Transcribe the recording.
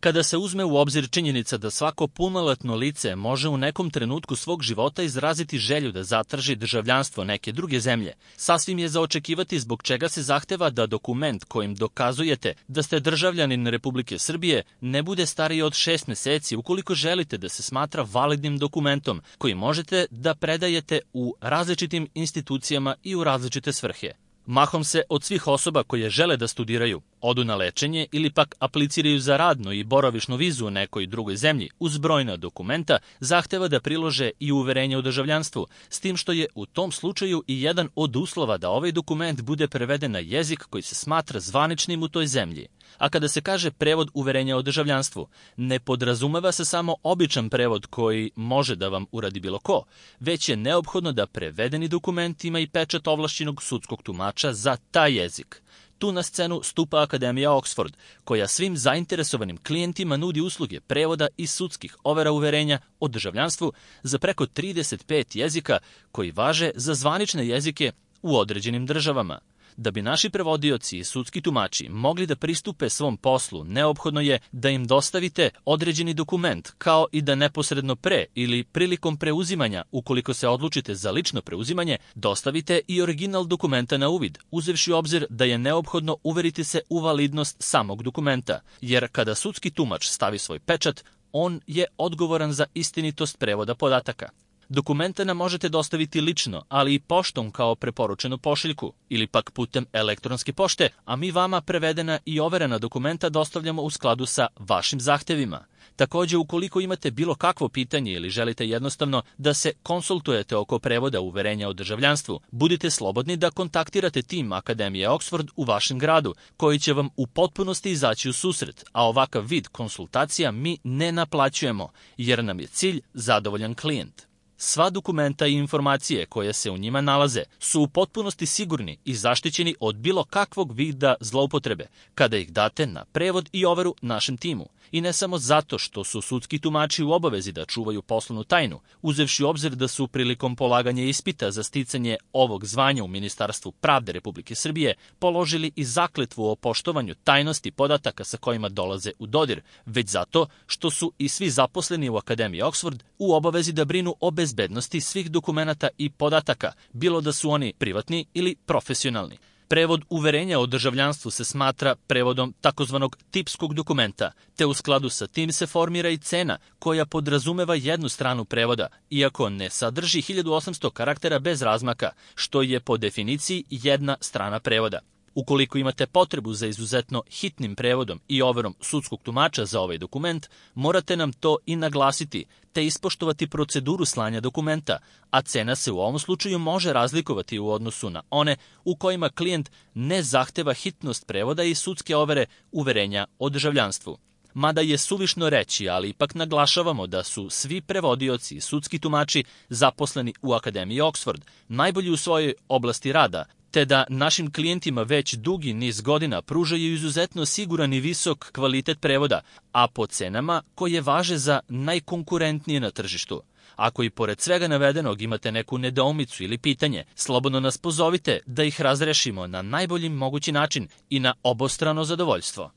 Kada se uzme u obzir činjenica da svako punoletno lice može u nekom trenutku svog života izraziti želju da zatraži državljanstvo neke druge zemlje, sasvim je za očekivati zbog čega se zahteva da dokument kojim dokazujete da ste državljanin Republike Srbije ne bude stariji od 6 meseci ukoliko želite da se smatra validnim dokumentom koji možete da predajete u različitim institucijama i u različite svrhe. Mahom se od svih osoba koje žele da studiraju, odu na lečenje ili pak apliciraju za radnu i boravišnu vizu u nekoj drugoj zemlji uz brojna dokumenta zahteva da prilože i uverenje o državljanstvu, s tim što je u tom slučaju i jedan od uslova da ovaj dokument bude preveden na jezik koji se smatra zvaničnim u toj zemlji. A kada se kaže prevod uverenja o državljanstvu, ne podrazumeva se samo običan prevod koji može da vam uradi bilo ko, već je neophodno da prevedeni dokument ima i pečat ovlašćenog sudskog tumača za taj jezik. Tu na scenu stupa Akademija Oxford, koja svim zainteresovanim klijentima nudi usluge prevoda i sudskih overa uverenja o državljanstvu za preko 35 jezika koji važe za zvanične jezike u određenim državama. Da bi naši prevodioci i sudski tumači mogli da pristupe svom poslu, neophodno je da im dostavite određeni dokument, kao i da neposredno pre ili prilikom preuzimanja, ukoliko se odlučite za lično preuzimanje, dostavite i original dokumenta na uvid, uzevši u obzir da je neophodno uveriti se u validnost samog dokumenta, jer kada sudski tumač stavi svoj pečat, on je odgovoran za istinitost prevoda podataka. Dokumenta nam možete dostaviti lično, ali i poštom kao preporučenu pošiljku ili pak putem elektronske pošte, a mi vama prevedena i overena dokumenta dostavljamo u skladu sa vašim zahtevima. Takođe, ukoliko imate bilo kakvo pitanje ili želite jednostavno da se konsultujete oko prevoda uverenja o državljanstvu, budite slobodni da kontaktirate tim Akademije Oxford u vašem gradu, koji će vam u potpunosti izaći u susret, a ovakav vid konsultacija mi ne naplaćujemo, jer nam je cilj zadovoljan klijent. Sva dokumenta i informacije koje se u njima nalaze su u potpunosti sigurni i zaštićeni od bilo kakvog vida zloupotrebe kada ih date na prevod i overu našem timu. I ne samo zato što su sudski tumači u obavezi da čuvaju poslovnu tajnu, uzevši u obzir da su prilikom polaganja ispita za sticanje ovog zvanja u Ministarstvu pravde Republike Srbije položili i zakletvu o poštovanju tajnosti podataka sa kojima dolaze u dodir, već zato što su i svi zaposleni u Akademiji Oxford u obavezi da brinu o bezbednosti svih dokumenata i podataka, bilo da su oni privatni ili profesionalni. Prevod uverenja o državljanstvu se smatra prevodom takozvanog tipskog dokumenta, te u skladu sa tim se formira i cena koja podrazumeva jednu stranu prevoda, iako ne sadrži 1800 karaktera bez razmaka, što je po definiciji jedna strana prevoda. Ukoliko imate potrebu za izuzetno hitnim prevodom i overom sudskog tumača za ovaj dokument, morate nam to i naglasiti, te ispoštovati proceduru slanja dokumenta, a cena se u ovom slučaju može razlikovati u odnosu na one u kojima klijent ne zahteva hitnost prevoda i sudske overe uverenja o državljanstvu. Mada je suvišno reći, ali ipak naglašavamo da su svi prevodioci i sudski tumači zaposleni u Akademiji Oxford najbolji u svojoj oblasti rada, te da našim klijentima već dugi niz godina pružaju izuzetno siguran i visok kvalitet prevoda, a po cenama koje važe za najkonkurentnije na tržištu. Ako i pored svega navedenog imate neku nedoumicu ili pitanje, slobodno nas pozovite da ih razrešimo na najbolji mogući način i na obostrano zadovoljstvo.